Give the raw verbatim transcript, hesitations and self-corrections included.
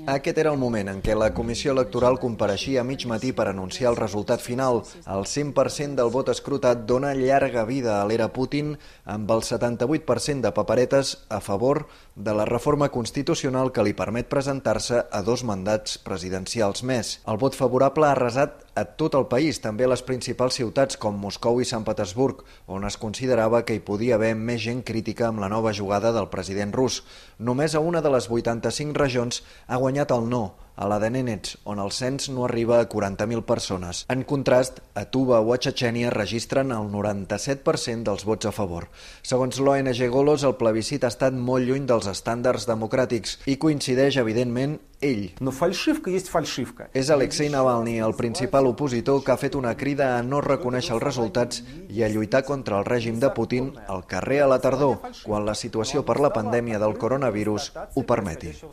Aquest era el moment en què la Comissió Electoral compareixia a mig matí per anunciar el resultat final. El cent per cent del vot escrutat dona llarga vida a l'era Putin, amb el setanta-vuit per cent de paperetes a favor de la reforma constitucional que li permet presentar-se a dos mandats presidencials més. El vot favorable ha arrasat a tot el país, també a les principals ciutats com Moscou i Sant Petersburg, on es considerava que hi podia haver més gent crítica amb la nova jugada del president rus. Només a una de les vuitanta-cinc regions ha guanyat el no, a la de Nenets, on el cens no arriba a quaranta mil persones. En contrast, a Tuva o a Txetxènia registren el noranta-set per cent dels vots a favor. Segons l'O N G Golos, el plebiscit ha estat molt lluny dels estàndards democràtics i coincideix, evidentment, ell. És Alexei Navalny, el principal opositor, que ha fet una crida a no reconèixer els resultats i a lluitar contra el règim de Putin al carrer a la tardor, quan la situació per la pandèmia del coronavirus ho permeti.